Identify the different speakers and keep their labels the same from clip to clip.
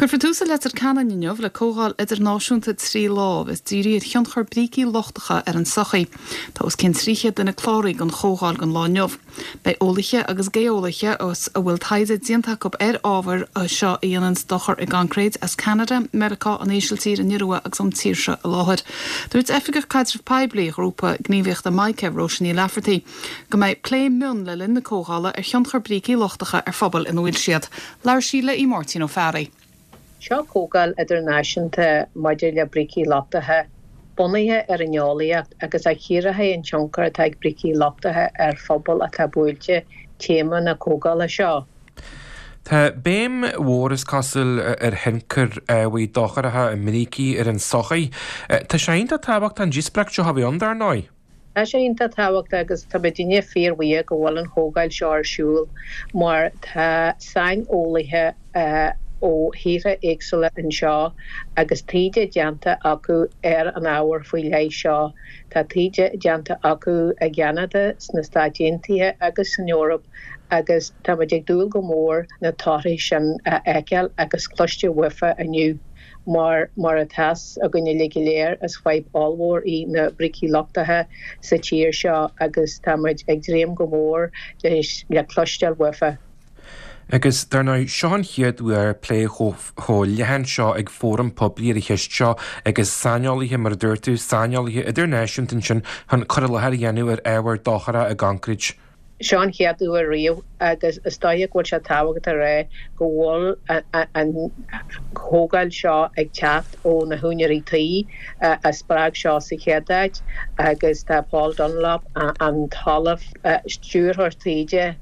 Speaker 1: Cuirfear tús i Leitir Ceanainn inniu le comhdháil idirnáisiúnta 3 lá a bheas dírithe ar thionchar brící lochtacha ar an tsochaí. Tá os cionn 300 duine cláraithe don chomhdháil don lá inniu. Beidh eolaithe agus geolaithe a bhfuil taighde déanta acu ar ábhair seo a dhéananns dochar i gcoincréit as Ceanada, Meiriceá, an Ísiltír, an Iorua agus ón tír seo i láthair. Dúirt Oifigeach Caidrimh Poiblí Ghrúpa Gníomhaíochta Mica, Róise Ní Laifeartaigh, go mbeidh plé mion le linn na comhdhála ar thionchar brící lochtacha ar phobail ina bhfuil siad. Labhair sí le Aodh Máirtín Ó Fearraigh.
Speaker 2: Seo comhdháil idirnáisiúnta maidir le brící luchtaithe, bunaithe ar an eolaíocht agus a chíorfaidh an tionchar atá ag brící luchtaithe ar phobail atá buailte, téama na comhdhála seo.
Speaker 3: Tá béim mhór, is cosúil, ar thionchar ábhair dochracha i mbrící ar an tsochaí. Tá sé iontach tábhachtach an díospóireacht seo a bheith ann, dar ndóigh.
Speaker 2: Tá sé iontach tábhachtach agus tá muidinne fíorbhuíoch go bhfuil an chomhdháil seo ar siúl mar tá saineolaithe ó thíortha éagsúla anseo agus taighde déanta acu ar an ábhar faoi leith seo. Tá taighde déanta acu i gCeanada, sna Stáit Aontaithe agus san Eoraip agus tá muid ag dúil go mór na torthaí sin a fheiceáil agus cloisteáil uafa inniu. Mar, mar atá's againn uilig go léir, is fadhb ollmhór í na brící luchtaithe sa tír seo agus tá muid ag dréim go mór leis, le cloisteáil uafa.
Speaker 3: Agus, dar ndóigh, seo an chéad uair plé chomh leathan seo ag fóram poiblí ar an cheist seo agus saineolaithe, mar a dúirt tú, saineolaithe idirnáisiúnta ansin chun cur i láthair a dhéanamh ar ábhar dochrach i gconcrete.
Speaker 2: Seo an chéad uair riamh agus is dóiche go bhfuil sé tábhachtach a rá go bhfuil an chomhdháil seo ag teacht ó na húinéirí tí a spreag seo sa chéad áit agus tá Paul Dunlop, an tOllamh, Stiúrthóir Taighde,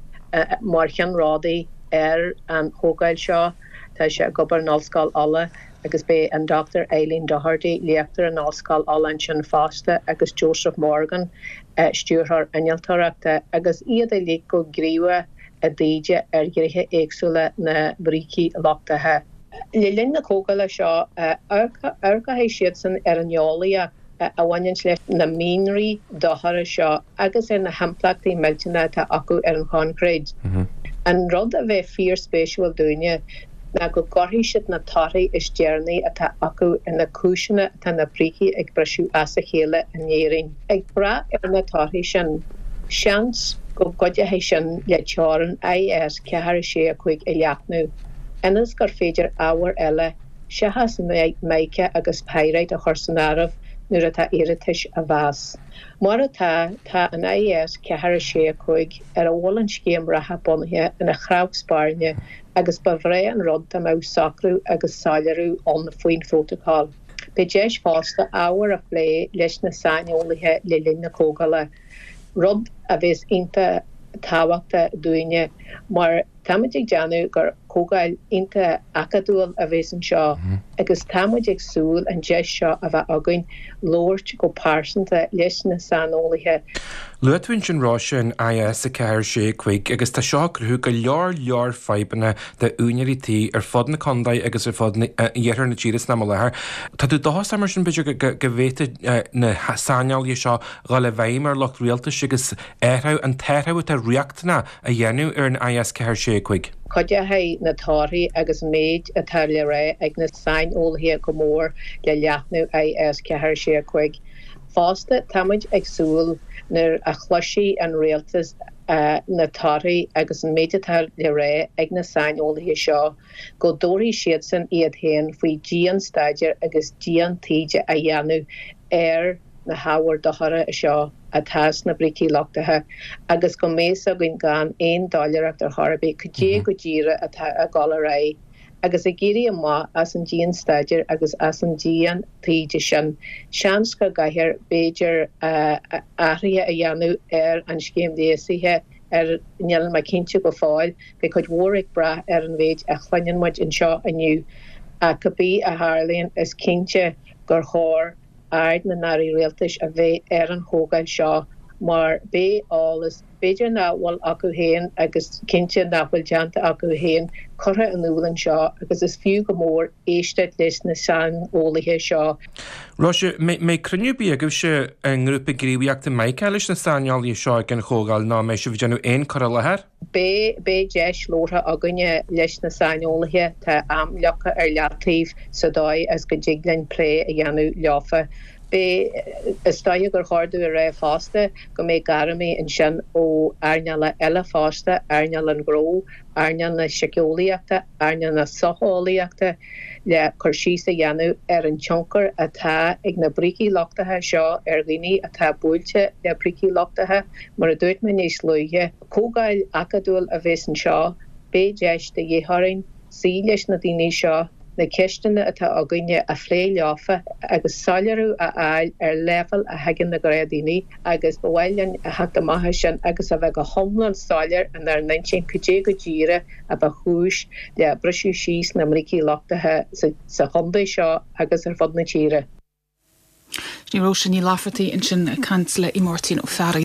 Speaker 2: mar cheannródaí ar an chomhdháil seo. Tá sé ag obair in Ollscoil Uladh agus beidh an Dr Eileen Doherty, léachtóir in Ollscoil Uladh ansin fosta agus Joseph Morgan, stiúrthóir innealtóireachta, agus iad uilig go gníomhach i dtaighde ar ghnéithe éagsúla na mbrící luchtaithe. Le linn na comhdhála seo, amharcfaidh siadsan ar an eolaíocht a bhaineanns leis na mianraí dochracha seo agus ar na himpleachtaí millteanacha atá acu ar an choincréit. An rud a bheidh fíorspéisiúil dúinne ná go gcuirfidh siad na torthaí is deireanaí atá acu ar na cúiseanna atá na brící ag briseadh as a chéile in Éirinn. Ag brath ar na torthaí sin, seans go gcuideoidh sin le teorainn IS 4 6 5 a leathnú, ionas gur féidir ábhair eile seachas mica agus pyrite a chur san áireamh nuair atá iarratais á mheas. Mar atá, tá an IS 4 6 5, ar a bhfuil an scéim reatha bunaithe, ina chreach spairne agus ba bhreá an rud dá mbeadh socrú agus soiléiriú ann faoin phrótacal. Beidh deis fosta ábhar a phlé leis na saineolaithe le linn na comhdhála, rud a bheas iontach tábhachtach dúinne mar táimid ag déanamh gur comhdháil iontach acadúil a bheas anseo agus tá muid ag súil an deis seo a bheith againn labhairt go pearsanta leis na saineolaithe.
Speaker 3: Luaigh tú ansin Róise an IS 4 6 5 agus tá seo ag cruthú go leor leor fadhbanna d'úinéirí tí ar fud na contae agus ar fud iarthar na tíre san am i láthair. Tá tú dóchasach mar sin b'fhéidir go bhféadfaidh na saineolaithe seo dhul i bhfeidhm ar lucht rialtais agus athrú, an t-athrú atá riachtanach a dhéanamh ar an IS 4 6 5.
Speaker 2: Cuideoidh na torthaí agus an méid atá le rá ag na saineolaithe go mór le leathnú IS 4 6 5. Fosta, táimid ag súil nuair a chloisfidh an Rialtas na torthaí agus an méid atá le rá ag na saineolaithe seo, go dtabharfaidh siadsan iad féin faoi dian-staidéar agus dian-taighde a dhéanamh ar na hábhair dochracha seo atá sna brící luchtaithe agus go mbeidh 's againn gan aon doiléireacht ar chor ar bith cad é go díreach atá ag dul ar aghaidh agus ag éirí amach as an dian-staidéar agus as an dian-taighde sin, seans go gcaithfear b'fhéidir athruithe a dhéanamh ar an scéim léasaithe ar níl mé cinnte go fóill, beidh cuid mhór ag brath ar an mhéid a chluineann muid anseo inniu ach cibé a tharlaíonn is cinnte gur chóir aird na n-airí rialtais a bheith ar an chomhdháil seo mar beidh eolas. B'fhéidir nach bhfuil acu féin agus cinnte nach bhfuil déanta acu féin curtha in iúl anseo agus is fiú go mór éisteacht leis na saineolaithe seo.
Speaker 3: Róise, mbeidh cruinniú ar bith agaibhse i ngrúpa gníomhaíochta Mica leis na saineolaithe seo ag an chomhdháil nó an mbeidh sibh ag déanamh aon cur i láthair?
Speaker 2: Beidh, beidh deis labhartha againne leis na saineolaithe, tá am leagtha ar leataobh sa dóigh is go dtig linn plé a dhéanamh leofa. Beidh, is dóiche gur chóir domh a rá fosta go mbeidh gairmí ansin ó earnála eile fosta, earnáil an ghnó, earnáil na síceolaíochta, earnáil na socheolaíochta le cur síos a dhéanamh ar an tionchar atá ag na brící lochtacha seo ar dhaoine atá buailte le brící lochtacha. Mar a dúirt mé níos luaithe, comhdháil acadúil a bheas anseo, beidh deis de dhíth orainn suí leis na daoine seo, na ceisteanna atá againne a phlé leofa agus soiléiriú a fháil ar leibhéal a thuigeann na gnáthdhaoine agus ba mhaith linn a theacht amach as sin agus a bheith go hiomlán soiléir inár n-intinn cad é go díreach a ba chúis le briseadh síos na mbrící lochtacha sa chontae seo agus ar fud na tíre.
Speaker 1: Sin í Róise Ní Laifeartaigh ansin ag caint le Máirtín Ó Fearraigh.